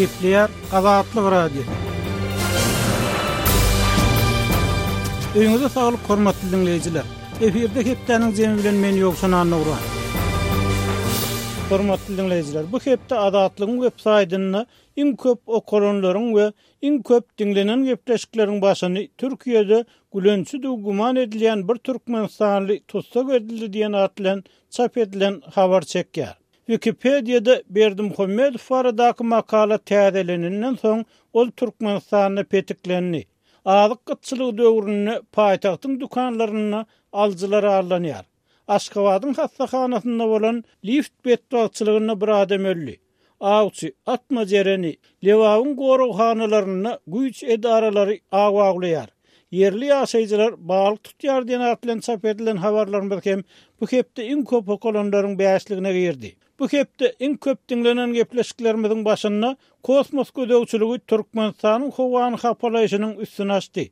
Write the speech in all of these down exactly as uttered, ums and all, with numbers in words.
Gepleýär Azatlyk Radiosy. Öýüňize saglyk hormatly diňleýjiler. Efirde hepdäniň jemi bilen men Ýowşan Annagurban. Hormatly diňleýjiler, bu hepde Azatlygyň web saýtynda iň köp okalanlaryň we iň köp diňlenen gepleşikleriň başyny Türkiýede gülençi güman edilýän bir Türkmenistanly tussag edildi diýen at bilen çap edilen habar çekýär. Wikipediýada Berdimuhamedow baradaky makala täzeleninden soň ol Türkmenistanda petiklendi. Azyk gytçylygy döwründe paýtagtyň dükanlarynda alyjylar allanýar. Aşgabadyň hassahanasynda bolan lift betbagtçylygynda bir adam öldi. Awçy atma jereni Lebabyň goraghanalarynda güýç edaralary aw awlaýar. Ýerli ýaşaýjylar balyk tutýar diýen at bilen çap edilen habarlarymyz hem bu hepde iň köp okalanlaryň bäşligine girdi. Bu hepde iň köp diňlenen gepleşiklerimiziň başynda kosmos gözegçiligi Türkmenistanyň howany hapalaýşynyň üstüni açdy.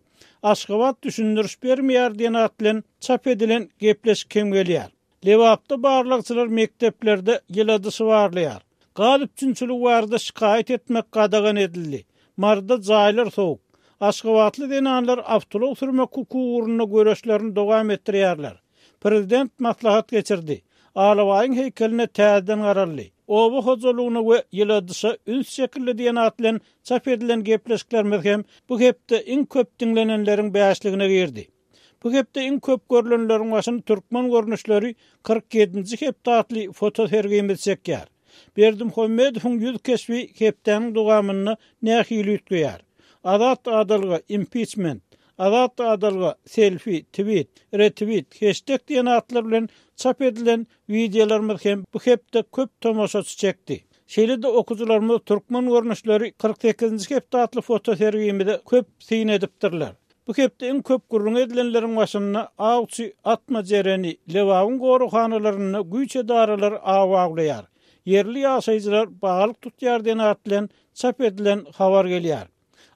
Aşgabat düşündiriş bermeýär diýen at bilen çap edilen gepleşik hem gelýär. Lebapda barlagçylar mekdeplerde ýyladyşy barlaýar. Gaz üpjünçiligi barada şikaýat etmek gadagan edildi. Maryda jaýlar sowuk. Aşgabatly zenanlar awtoulag sürmek hukugy ugrunda göreşlerini dowam etdirýärler. Prezident maslahat geçirdi. Alabaýyň heýkeline täzeden garaldy. Oba hojalygyna we ýyladyşa üns çekildi diýen at bilen çap edilen gepleşiklerimiz hem bu hepde iň köp diňlenenleriň bäşligine girdi. Bu hepde iň köp görülenleriň başyny türkmen görnüşleri kyrk ýedinji hepde atly fotosergimiz çekýär. Berdimuhamedowyň ýüz keşbi hepdäniň dowamynda nähili üýtgeýär? Azat adalga impeachment, Azat adalga selfie, tweet, retweet, hashtag diýen atlar bilen çap edilen wideolarymyz hem bu hepde köp tomaşaçy çekdi. Şeýle-de okujylarymyz türkmen görnüşleri kyrk sekizinji hepde atly fotosergimize köp syn edipdirler. Bu hepde iň köp gürrüň edilenleriň başynda awçy atma jereni Lebabyň goraghanalarynda güýç edaralary aw awlaýar. Ýerli ýaşaýjylar balyk tutýar diýen at bilen çap edilen habar gelýär.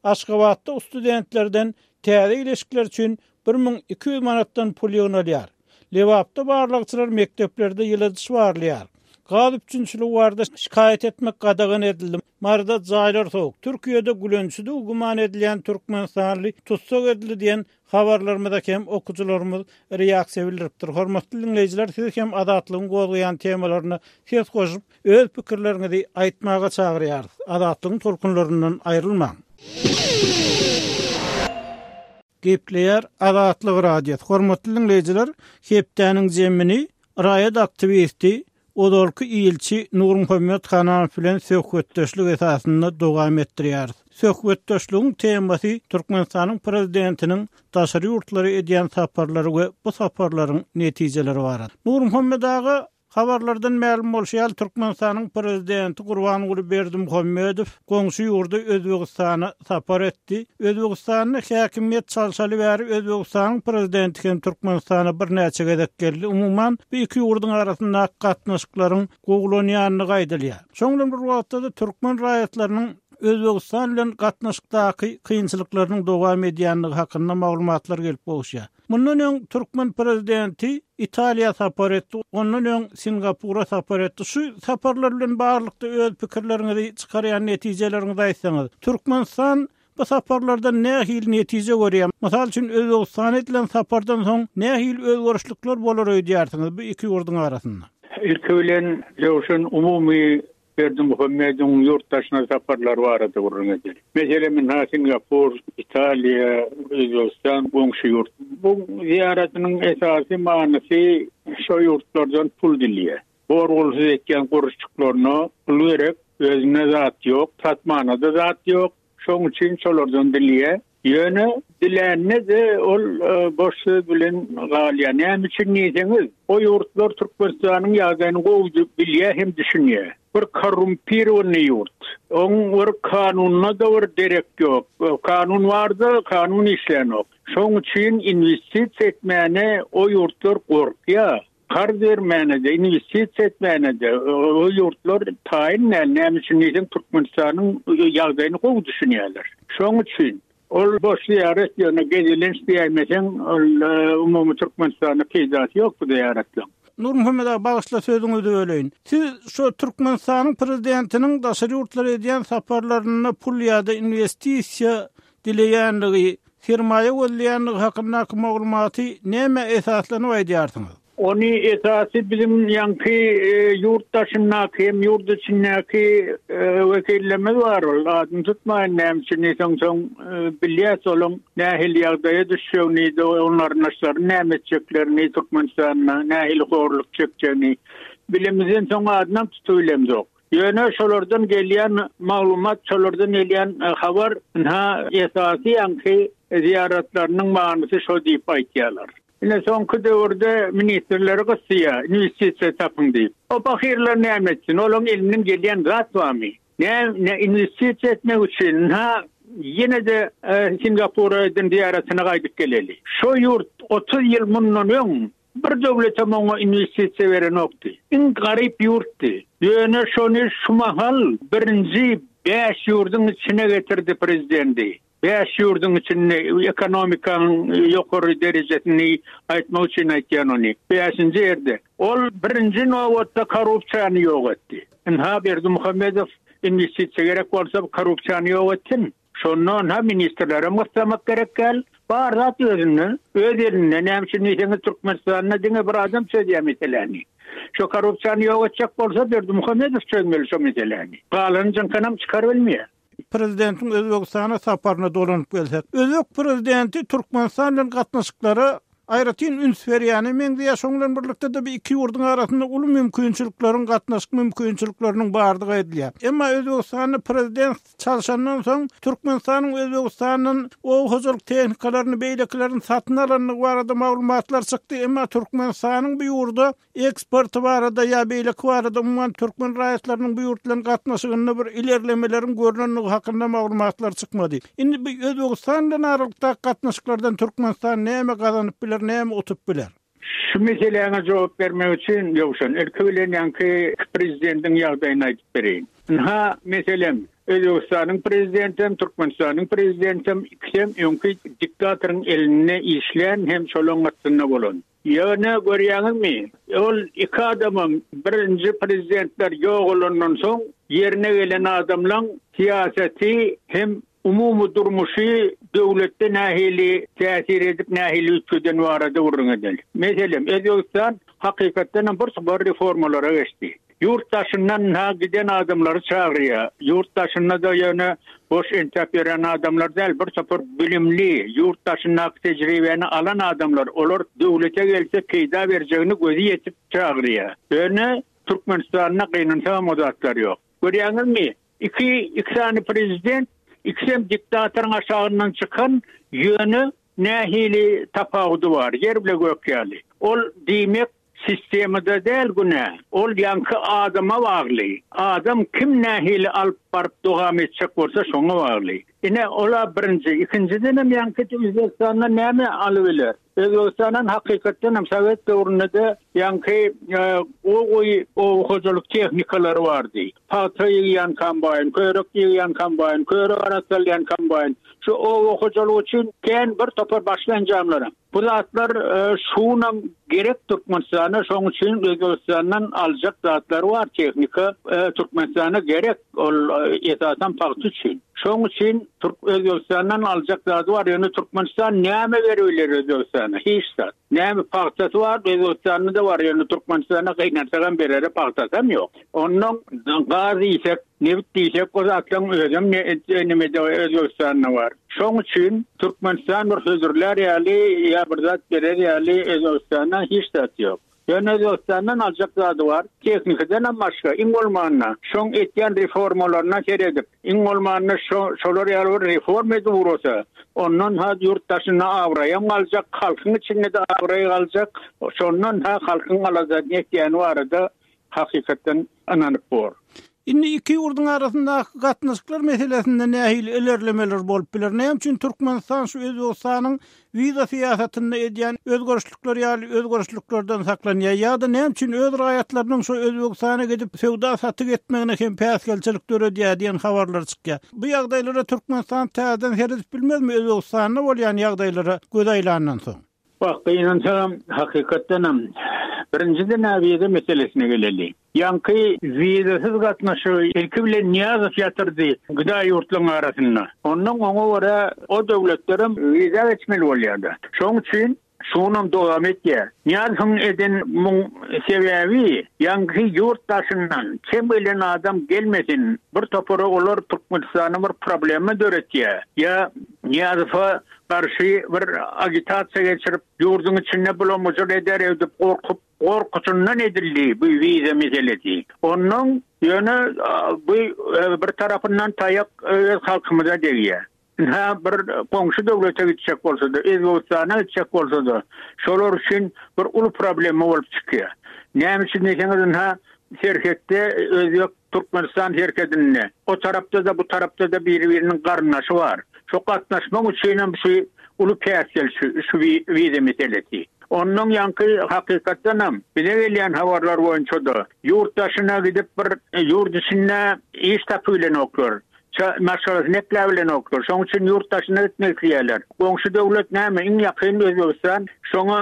Aşgabatda studentlerden täze ilişkiler üçin bir müň iki ýüz manatdan pul ýygnalýar. Lebapda barlagçylar mekdeplerde ýyladyş barlaýar. Gaz üpjünçiligi barada şikaýat etmek gadagan edildi. Maryda jaýlar sowuk. Türkiýede gülençidigi güman edilýän Türkmenistanly tussag edildi diýen habarlarymyza hem okujylarymyz reaksiýa bildiripdir. Hormatly diňleýjiler, siz hem Azatlygyň gozgaýan temalaryna ses goşup, öz pikirleriňizi aýtmaga çagyrýarys. Azatlygyň tolkunlaryndan aýrylmaň. Gepleýär Azatlyk Radiosy. Hormatly diňleýjiler, hepdäniň jemini raýat aktiwisti ozalky ilçi Nurmuhammet Hananow bilen söhbetdeşlik esasynda dowam etdirýäris. Söhbetdeşligiň temasy Türkmenistanyň prezidentiniň daşary ýurtlara edýän saparlary we bu saparlaryň netijeleri barada. Nurmuhammet aga, habarlardan mälim bolşy ýaly Türkmenistanyň prezidenti Gurbanguly Berdimuhamedow goňşy ýurda Özbegistana sapar etdi. Özbegistanda häkimiýet çalşaly bäri Özbegistanyň prezidenti hem Türkmenistana birnäçe gezek geldi. Umuman, bu iki ýurduň arasyndaky gatnaşyklaryň gowulanýandygy aýdylýar. Şonuň bilen bir wagtda da türkmen raýatlarynyň Özbegistan bilen gatnaşykdaky kynçylyklarynyň dowam edýändigi hakynda maglumatlar gelip gowuşýar. Mundan öň türkmen prezidenti Italiýa sapar etdi, ondan öň Singapura sapar etdi. Şu saparlar bilen baglylykda öz pikirleriňizi çykarýan netijeleriňizi aýtsaňyz, Türkmenistan bu saparlardan nähili netije görýär? Mysal üçin Özbegistan edilen sapardan soň nähili özgerişlikler bolar öýdýärsiňiz bu iki ýurduň arasynda? Ilki bilen Ýowşan umumy Berdimuhamedowyň ýurtdaşyna saparlar barada gürrüň edeli. Meselem, ynha Singapur, Italiýa, Özbegistan goňşy ýurt. Bu ziýaratynyň esasy manysy şo ýurtlardan pul dilýär. Borgulsyz etýän guruşçyklaryna pul gerek, özüne zat ýok, satmana da zat ýok. Şoň üçin şolardan dilýär. Ýöne dilänne de ol, e, boş söz bilen galýar. Näme üçin diýseňiz, o ýurtlar Türkmenistanyň ýagdaýyny gowy bilýär hem düşünýär. Bir korrumpirowny ýurt. Oň bir kanununa da bir derek ýok. Kanun barda, kanun işlänok. Şoň üçin investisiýa etmäne o ýurtlar gorkýar. Karz bermäne de, investisiýa etmäne de o ýurtlar taýyn däl. Näme üçin diýseň, Türkmenistanyň ýagdaýyny gowy düşünýärler. Şoň üçin ol boş ziýaret ýöne gezelenç diýmeseň, ol, e, umumy Türkmenistana peýdasy ýok bu ziýaretleň. Nurmuhammet aga, bagyşla sözüňizi böleýin. Siz şu Türkmenistanyň prezidentiniň daşary ýurtlara edýän saparlarynda pul ýa-da inwestisiýa dileýänligi, sermaýa gözleýänligi hakyndaky maglumaty nämä esaslanyp aýdýarsyňyz? Ony esasy biziň ýaňky ýurt daşyndaky hem ýurt içindäki wekillerimiz bar. Ol adyny tutmaýyn näme üçin diýseň soň bilýäs olaň nähili ýagdaýa düşjegini, onlaryň näme etjeklerini Türkmenistanda nähili horluk çekjegini bilemizden soň adynam tutup bilemzok. Ýöne şolardan gelýän maglumat, şolardan gelýän habar ynha esasy ýaňky ziýaratlarynyň manysy şo diýip aýtýarlar. Ine soňky döwürde ministrleri gysýar, investisiýa tapyň diýip. O pahyrlar näme etsin? Olaň elinden gelýän zat barmy? Ne, ne investisiýa etmek üçin ha ýene de e, Singapura eden ziýaratyna gaýdyp geleli. Şo ýurt otuz ýyl mundan öň bir döwlete oňa investisiýa berenokdy. Iň garyp ýurtdy. Ýöne şony şu mahal birinji bäş ýurduň içine getirdi prezidenti. Bäş ýurduň içinde ekonomikanyň ýokary derejesini aýtmak üçin aýtýan ony. Bäşinji ýerde. Ol birinji nobatda korrupsiýany ýok etdi. Ynha Berdimuhamedow investisiýa gerek bolsa korrupsiýany ýok etsin. Şondan ha ministrlere gyssamak gerek gel. Bar zat özünde, öz elinde. Näme üçin diýseňiz Türkmenistanda diňe bir adam çözýär meseläni. Şu korrupsiýany ýok etjek bolsa Berdimuhamedow çözmeli şu meseläni. Galany jyňkanam çykar bilmeýär. Prezidentiň Özbegistana saparyna dolanyp gelsek. Özbek prezidenti Türkmenistan bilen gatnaşyklara aýratyn üns berýäni meňzeýär. Şoň bilen birlikde de bir iki ýurduň arasynda uly mümkinçilikleriň, gatnaşyk mümkinçilikleriniň bardygy aýdylýar. Emma Özbegistanda prezident çalşandan soň Türkmenistanyň Özbegistandan oba hojalyk tehnikalaryny beýlekilerini satyn alandygy barada maglumatlar çykdy. Emma Türkmenistanyň bu ýurda eksporty barada ýa beýleki barada umuman türkmen raýatlarynyň bu ýurt bilen gatnaşygynda bir ilerlemeleriň görnenligi hakynda maglumatlar çykmady. Indi bu Özbegistan bilen aralykdaky gatnaşyklardan Türkmenistan näme gazanyp biler, näme utup biler? Şu meseläňe jogap bermek üçin Ýowşan, ilki bilen ýaňky prezidentiň ýagdaýyny aýdyp bereýin. Ynha, meselem, Özbegistanyň prezidentem, Türkmenistanyň prezidentem ikisem öňki diktatoryň elinde işleýän hem şolaň astynda bolan. Ýöne görýäňizmi? Ol iki adamam birinji prezidentler ýok bolandan soň ýerine gelen adamlaň syýasaty hem umumy durmuşy döwletde nähili täsir edip nähili üýtgeden barada gürrüň edeli. Meselem, Özbegistan hakykatdan hem bir topar reformalara geçdi. Ýurt daşyndan ha giden adamlary çagyrýar. Ýurt daşynda da ýöne boş entäp ýören adamlar däl, bir topar bilimli, ýurt daşyndaky tejribeni alan adamlar, olar döwlete gelse peýda berjegini gözi ýetip çagyrýar. Ýöne Türkmenistanda gynansam o zatlar ýok. Görýäňizmi? Iki, iki sany prezident, ikisem diktatoryň aşagyndan çykan, ýöne nähili tapawudy bar, ýer bile gök ýaly. Ol diýmek sistemada däl günä. Ol ýaňky adama bagly. Adam kim nähili alyp baryp dowam etjek bolsa şoňa bagly. Ine ola birinji, ikinjiden hem ýaňky Özbegistanda näme alyp biler? Özbegistandan hakykatdan hem Sowet döwründe de ýaňky o oba hojalyk tehnikalary bardy. Pagta ýygýan kombaýn, körek ýygýan kombaýn, körek arassalýan kombaýn. Şu oba hojalygy üçin kän bir topar başga enjamlar. Bu zatlar şunam gerek Türkmenistana, şoň üçin Özbegistandan aljak zatlar bar, tehnika Türkmenistana gerek, ol esasan pagta üçin. Şoň üçin Türk Özbegistandan aljak zady bar, ýöne Türkmenistan näme berip Özbegistana? Hiç zat. Näme pagtasy bar, Özbegistanda da bar, ýöne Türkmenistana gynansagam berere pagtasam ýok. Ondan gaz diýsek, nebit diýsek, o zatlaryň özem ne Özbegistanda bar. Şoň üçin Türkmenistan bir hödürler ýaly ýa bir zat berer ýaly Özbegistanda hiç zat ýok. Ýöne Özbegistandan aljak zady bar, tehnikadan hem başga, iň bolmanda şoň etýän reformalaryna seredip, iň bolmanda şo şolar ýaly bir reforma edip ugrasa, ondan ha ýurt daşynda abraýam galjak, halkyň içinde de abraý galjak, şondan ha halkyň aladasyny etýäni barada hakykatdan ynanyp bor. Indi iki ýurduň arasyndaky gatnaşyklar meselesinde nähili ilerlemeler bolup biler? Näme üçin Türkmenistan şu Özbegistanyň wiza syýasatynda edýän özgerişlikler ýaly özgerişliklerden saklanýar ýa-da näme üçin öz raýatlarynyň şu Özbegistana gidip söwda satyk etmegine hem päsgelçilik döredýär diýen habarlar çykýar. Bu ýagdaýlara Türkmenistan täzeden seredip bilmezmi Özbegistanda bolýan ýagdaýlara göz aýlandan soň? Bak, gynansam hakykatdan hem Birinjiden wiza meselesine geleli. Ýaňky wizasyz gatnaşygy ilki bilen Nyýazow ýatyrdy gıda ýurtlaryň arasynda. Ondan oňa görä o döwletlerem wiza geçmeli bolýardy. Şonuň üçin şunam dowam etýär. Nyýazowyň eden muň sebäbi ýaňky ýurt daşyndan kim gelen adam gelmesin. Bir topara olar Türkmenistana bir problema döretýär. Ýa Nyýazowa garşy bir agitasiýa geçirip ýurduň içinde bulamujur eder edip gorkup gorkusundan edildi bu wiza meselesi. Ondan ýöne bu bir tarapyndan taýak öz halkymyza degýär. Ha bir goňşy döwlete gitjek bolsa da, Özbegistana gitjek bolsa da, şolar üçin bir uly problema bolup çykýar. Näme üçin diýseňiz, ha serhetde Özbek Türkmenistan serhedinde o tarapda da bu tarapda da biri-biriniň garyndaşy bar. Şu gatnaşmak üçin hem şu uly päsgel şu, şu wiza meselesi. Ondan ýaňky hakykatdan hem bize gelýän habarlar boýunça da ýurt daşyna gidip bir ýurt içinde iş tapy bilen oklar. Maşgalasy nekle bilen oklar. Şonuň üçin ýurt daşyna gitmek isleýärler. Goňşy döwlet näme? Iň ýakyn Özbegistan. Şoňa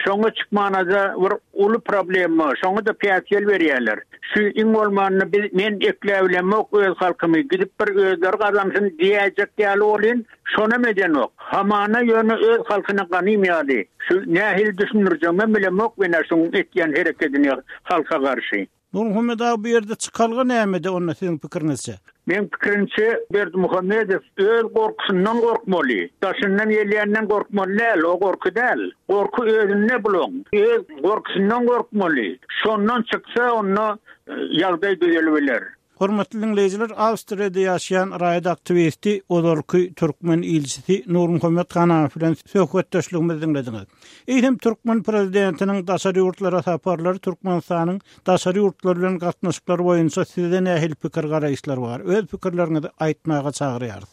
şoňa çykmana bir uly problema, şoňa da päsgel berýärler. Şu iň bolmanda biz men ekle bilen öz halkymy gidip bir özleri gazansyn diýjek ýaly bolyn, şona medenok. Hamana ýöne öz halkyna ganym ýaly. Şu nähili düşündirjegimi bilemok men şuň etýän herekedini halka garşy. Nurmuhammet aga bu ýerde çykalga nämede onda siziň pikiriňizçe? Men pikirimçe Berdimuhamedow öz gorkusundan gorkmaly. Daşyndan gelýänden gorkmaly däl, o gorky däl. Gorky özünde bulun. Öz gorkusundan gorkmaly. Şondan çyksa onda ýagdaý düzelibiler. Hormatly dinleýjiler, Awstriýada ýaşaýan raýat aktiwisti ozalky türkmen ilçisi Nurmuhammet Hanamow bilen söhbetdeşligimizi diňlediňiz. Eýsem türkmen prezidentiniň daşary ýurtlara saparlary Türkmenistanyň daşary ýurtlar bilen gatnaşyklary boýunça sizde nähili pikir garaýyşlar bar? Öz pikirleriňizi aýtmaga çagyrýarys.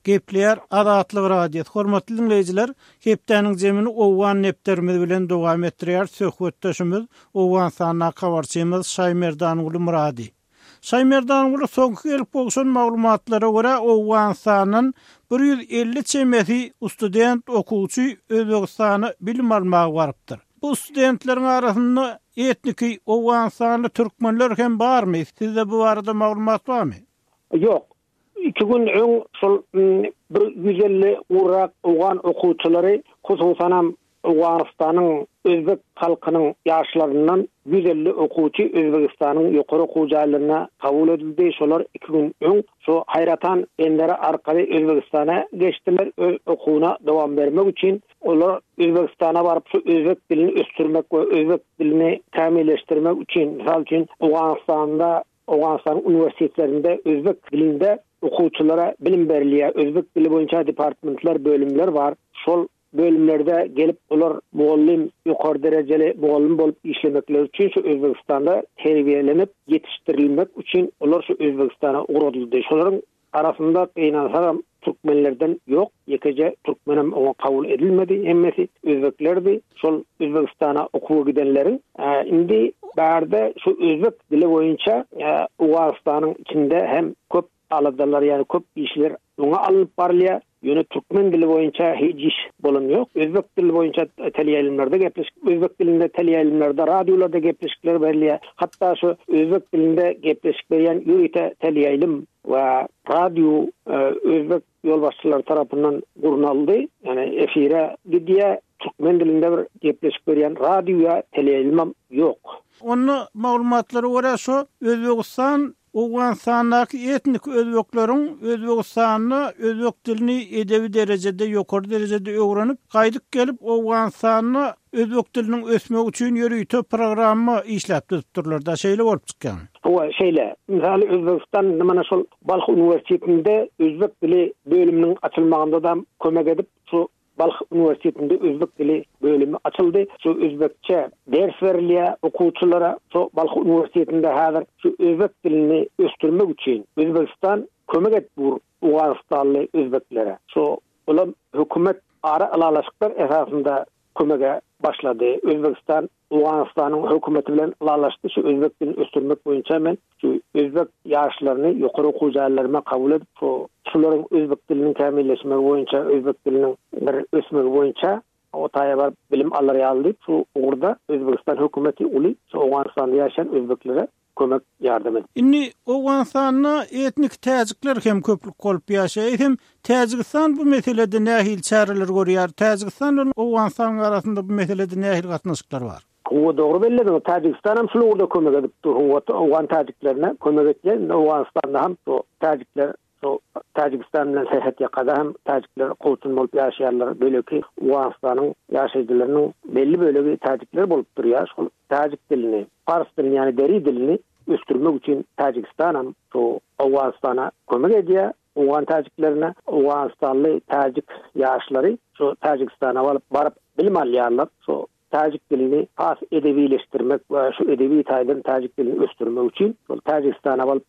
Gepleýär Azatlyk Radiosy. Hormatly dinleýjiler, hepdäniň zemini Owgan nepterimiz bilen dowam etdirýär. Söhbetdeşimiz Owganystandaky habarçymyz Şaýmerdanguly Murady. Şaýmerdanguly soňky gelip gowşan maglumatlara görä Owganystandan bir ýüz elli çemesi student okuwçy Özbegistana bilim almaga barypdyr. Bu studentleriň arasynda etniki Owganystanly türkmenler hem barmy? Sizde bu barada maglumat barmy? Ýok. Iki gün öň şol bir ýüz elli urak Owgan okuwçylary, hususanam Owganystanyň Özbek halkynyň ýaşlaryndan ýüz elli okuwçy Özbegistanyň ýokary okuw jaýlaryna kabul edildi. Şolar iki gün öň şu Haýratan benderi arkaly Özbegistana geçdiler. Öz okuwyna dowam bermek üçin olar Özbegistana baryp şu özbek dilini ösdürmek we özbek dilini kämilleşdirmek üçin, mysal üçin Owganystanda, Owganystanyň uniwersitetlerinde özbek dilinde okuwçylara bilim berilýär. Özbek dili boýunça departmentler, bölümler bar. Şol bölümlerde gelip olar mugallym, ýokary derejeli mugallym bolup işlemekleri üçin şu Özbegistanda terbiýelenip ýetişdirilmek üçin olar şu Özbegistana ugradyldy. Şolaryň arasynda gynansagam türkmenlerden ýok, ýekeje türkmenem oňa kabul edilmedi, hemmesi özbeklerdi. Şol Özbegistana okuwa gidenleriň, e, indi bärde şu özbek dili boýunça, e, Owganystanyň içinde hem köp aladalar, ýani köp işler oňa alnyp barylýar. Ýöne türkmen dili boýunça hiç iş bolan ýok. Özbek dili boýunça teleýaýlymlarda gepleşik, özbek dilinde teleýaýlymlarda, radiolarda gepleşikler berilýär. Hatda şu özbek dilinde gepleşik berýän ýörite teleýaýlym we radio, e, özbek ýolbaşçylary tarapyndan gurnaldy. Ýani efire gidýär. Türkmen dilinde bir gepleşik berýän radio we teleýaýlym ýok. Onda maglumatlara görä şu Özbegistan Owganystandaky etnik özbekleriň Özbegistanda özbek dilini edebi derejede, ýokary derejede öwrenip, gaýdyp gelip Owganystanda özbek diliniň ösmegi üçin ýörite programma işläp düzüpdirler. Da şeýle bolup çykýar. Hawa, şeýle. Mysal Özbegistan mana şol Balh uniwersitetinde özbek dili bölüminiň açylmagynda da kömek edip, şu Balh uniwersitetinde özbek dili bölümi açyldy. Şu özbekçe ders berilýär okuwçylara. Şu Balh uniwersitetinde häzir şu özbek dilini ösdürmek üçin Özbegistan kömek etdi Owganystanly özbeklere. Şu olam hökümet ara ylalaşyklar esasynda kömege başlady. Özbegistan Owganystanyň hökümeti bilen ylalaşdy. Şu özbek dilini ösdürmek boýunça men şu özbek ýaşlaryny ýokary okuw jaýlaryna kabul edip, şu şularyň özbek diliniň kämilleşmegi boýunça, özbek diliniň bir ösmegi boýunça O taýa baryp bilim alar ýaly diýip, şu ugurda Özbegistan hökümeti uly şu Owganystanda ýaşaýan özbeklere kömek ýardam edip. Indi Owganystanda etnik täjikler hem köplük bolup ýaşaýar. Hem Täjigistan bu meselede nähili çäreler görýär? Täjigistan bilen Owganystanyň arasynda bu meselede nähili gatnaşyklar bar? Hawa, dogry belledin. Täjigistan hem şul ugurda kömek edip dur. Hawa, Owgan täjiklerine kömek etýär. Indi Owganystanda hem şu täjikler şu Täjigistan bilen serhet ýakada hem täjikler kowçum bolup ýaşaýarlar. Böleki Owganystanyň ýaşaýjylarynyň belli bölegi täjikler bolup durýar. Şol täjik dilini, pars dilini, ýani deri dilini ösdürmek üçin Täjigistan hem şu Owganystana kömek edýär. Owgan täjiklerine, Owganistanly täjik ýaşlary şu Täjigistana baryp, baryp bilim alýarlar. Şu täjik dilini has edebileşdirmek we şu edebi taýdan täjik dilini ösdürmek üçin şol Täjigistana baryp,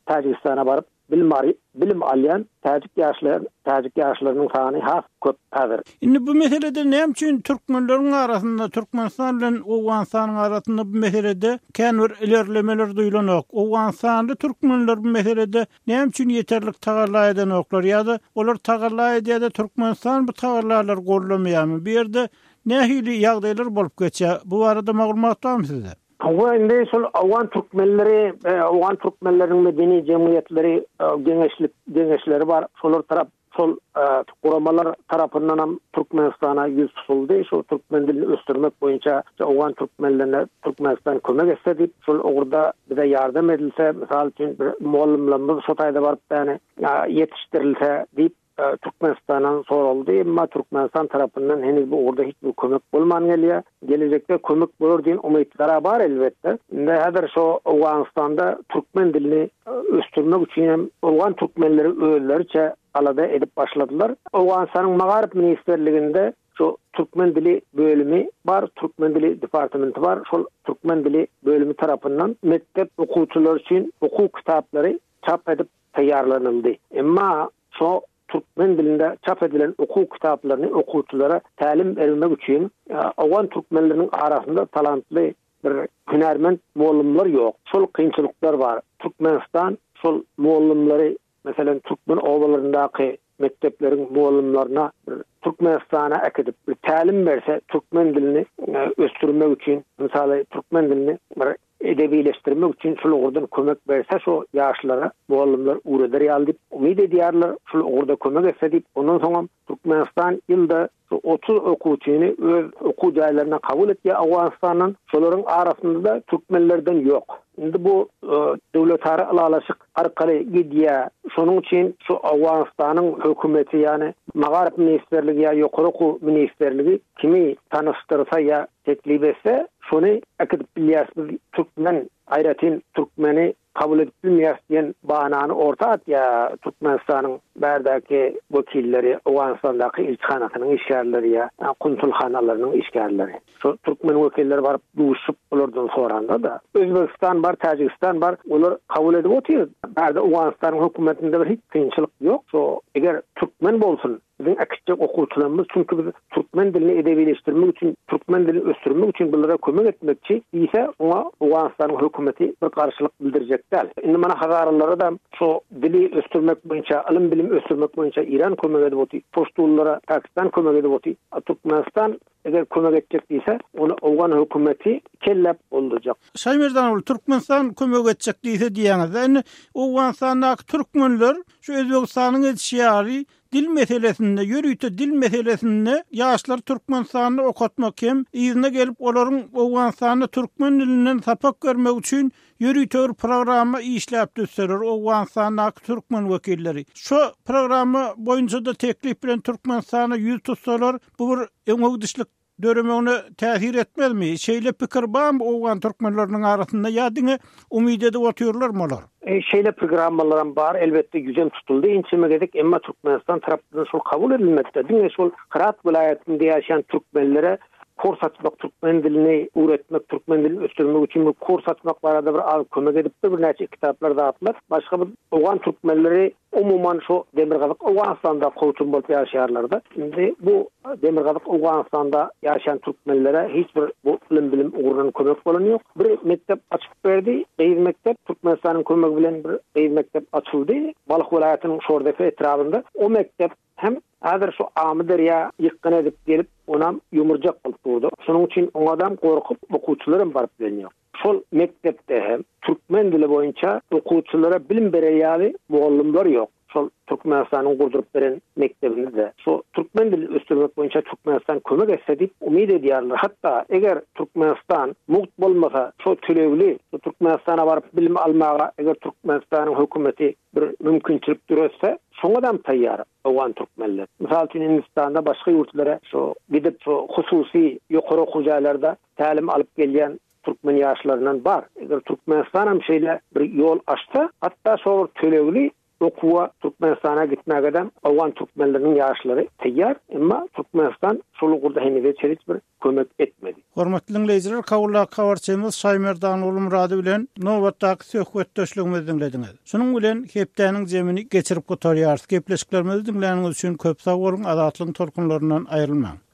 Täjigistana baryp bilim ar-, bilim alýan täjik ýaşlar, täjik ýaşlarynyň sany has köp häzir. Indi bu meselede näme üçin türkmenleriň arasynda, Türkmenistan bilen Owganystanyň arasynda bu meselede kän bir ilerlemeler duýulanok? Owganistanly türkmenler bu meselede näme üçin ýeterlik tagalla edenoklar ýa-da olar tagalla edýär-de Türkmenistan bu tagallalary gollamaýarmy? Bu ýerde nähili ýagdaýlar bolup geçýär? Bu barada maglumat barmy sizde? Hawa, indi şol Owgan türkmenleri, e, Owgan türkmenleriniň medeni jemgyýetleri, e, geňeşlik geňeşleri bar. Şolar tarap, şol, e, guramalar tarapyndan hem Türkmenistana ýüz tutuldy. Şol türkmen dilini ösdürmek boýunça Owgan türkmenlerine Türkmenistan kömek etse diýip, şol ugurda bize ýardam edilse, mysal üçin bir mugallymlarymyz şo taýda baryp ýani, ýa, ýetişdirilse diýip, e, Türkmenistandan soraldy. Emma Türkmenistan tarapyndan henüz bu ugurda hiç bir kömek bolman gelýär. Gelejekde kömek bolar diýen umytlar bar elbetde. Indi häzir şo Owganystanda türkmen dilini, e, ösdürmek üçin hem Owgan türkmenleri özleriçe alada edip başladylar. Owganystanyň Magaryf Ministerliginde şu türkmen dili bölümi bar, türkmen dili departamenti bar. Şol türkmen dili bölümi tarapyndan mekdep okuwçylary üçin okuw kitaplary çap edip taýýarlanyldy. Emma şo türkmen dilinde çap edilen okuw kitaplaryny okuwçylara tälim bermek üçin, e, Owgan türkmenleriniň arasynda talantly bir hünärment mugallymlar ýok. Şol kynçylyklar bar. Türkmenistan şol mugallymlary, meselem, türkmen obalaryndaky mekdepleriň mugallymlaryna bir Türkmenistana äkidip bir tälim berse, türkmen dilini, e, ösdürmek üçin, mysaly türkmen dilini bir edebileşdirmek üçin şol ugurdan kömek berse, şo ýaşlara mugallymlar ugreder ýaly diýip umyt edýärler. Şol ugurda kömek etse diýip, ondan soňam Türkmenistan ýylda şu otuz okuwçyny öz okuw jaýlaryna kabul etýär Owganistandan. Şolaryň arasynda da türkmenlerden ýok. Indi bu, e, döwletara ylalaşyk arkaly gidýär. Şonuň üçin şu Owganistanyň hökümeti, ýani Magaryf Ministerligi ýa Ýokary Okuw Ministerligi kimi tanyşdyrsa ýa teklip etse, şony äkidip bilýäris biz türkmen, aýratyn türkmeni kabul edip bilmeýäris diýen bahanany orta atýar Türkmenistanyň bärdäki wekilleri, Owganistandaky ilçihanasynyň işgärleri ýa konsulhanalarynyň işgärleri. Şu türkmen wekilleri baryp duşup olardan soranda da Özbegistan bar, Täjigistan bar, olar kabul edip otyr. Bärde Owganistanyň hökümetinde bir hiç kynçylyk ýok. Şu eger türkmen bolsun, biziň äkitjek okuwçylarymyz, çünki biz türkmen dilini edebileşdirmek üçin, türkmen dilini ösdürmek üçin bulara kömek etmekçi diýse, oňa Owganistanyň hökümeti bir garşylyk bildirjek däl. Indi mana hazaralara da şu dili ösdürmek boýunça, ylym bilim ösdürmek boýunça İran kömek edip otyr, Poştullara Pakistan kömek edip otyr. A Türkmenistan eger kömek etjek diýse, ony Owgan hökümeti kellep boldurjak. Şaýmerdan, Türkmenistan kömek etjek diýse diýýäňiz. Indi Owganistandaky türkmenler şu Özbegistanyň edişi ýaly dil meselesinde, ýörite dil meselesinde ýaşlar Türkmenistanda okatmak hem yzyna gelip olaryň Owganistanda türkmen dilinden sapak görmek üçin ýörite bir programma işläp düzseler Owganistandaky türkmen wekilleri. Şu programma boýunça da teklip bilen Türkmenistana ýüz tutsalar, bu bir öňe döremegine täsir etmezmi? Şeýle pikir barmy Owgan türkmenleriniň arasynda ýa diňe umyt edip otyrlarmy olar? E, şeýle programmalaram bar, elbetde ýüzem tutuldy inçeme gezek, emma Türkmenistan tarapyndan şol kabul edilmedi. Diňe şol Hyrat welaýatynda ýaşaýan türkmenlere kurs açmak, türkmen dilini öwretmek, türkmen dilini ösdürmek üçin bir kurs açmak barada bir az kömek edipdi, birnäçe kitaplar zatlar. Başga bir Owgan türkmenleri umuman şu Demirgazyk Owganistanda kowçum bolup ýaşaýarlar-da. Indi bu Demirgazyk Owganistanda ýaşaýan türkmenlere hiç bir bu ylym bilim ugrundan kömek bolan ýok. Bir mekdep açyp berdi, gyz mekdep, Türkmenistanyň kömegi bilen bir gyz mekdep açyldy. Balh welaýatynyň Şordepe etrabynda. O mekdep hem Häzir şu Amyderýa ýykgyn edip gelip, onam ýumurjak bolup durdy. Şonuň üçin oňadam gorkup okuwçylaram baryp bilenýok. Şol mekdepde hem türkmen dili boýunça okuwçylara bilim berer ýaly mugallymlar ýok. Şol Türkmenistanyň gurduryp beren mekdebinde şu türkmen dilini ösdürmek boýunça Türkmenistan kömek etse diýip umyt edýärler. Hatda eger Türkmenistan mugt bolmasa, şu tölegli şu Türkmenistana baryp bilim almaga eger Türkmenistanyň hökümeti bir mümkinçilik döretse, şoňa da taýýar Owgan türkmenler. Mysal üçin Hindistanda başga ýurtlara şu gidip şu hususy ýokary okuw jaýlarda tälim alyp gelýän türkmen ýaşlaryndan bar. Eger Türkmenistan hem şeýle bir ýol açsa, hatda şo bir tölegli okuwa Türkmenistana gitmäge Owgan türkmenleriniň ýaşlary taýýar, emma Türkmenistan şol ugurda heniz hiç bir kömek etmedi. Hormatly dinleýjiler, Kabuldaky habarçymyz Şaýmerdan Ulumurady bilen nobatdaky söhbetdeşligimizi diňlediňiz. Şunuň bilen hepdäniň jemini geçirip gutarýarys. Gepleşiklerimizi diňläniňiz üçin köp sag boluň, azatlygyň tolkunlaryndan aýrylmaň.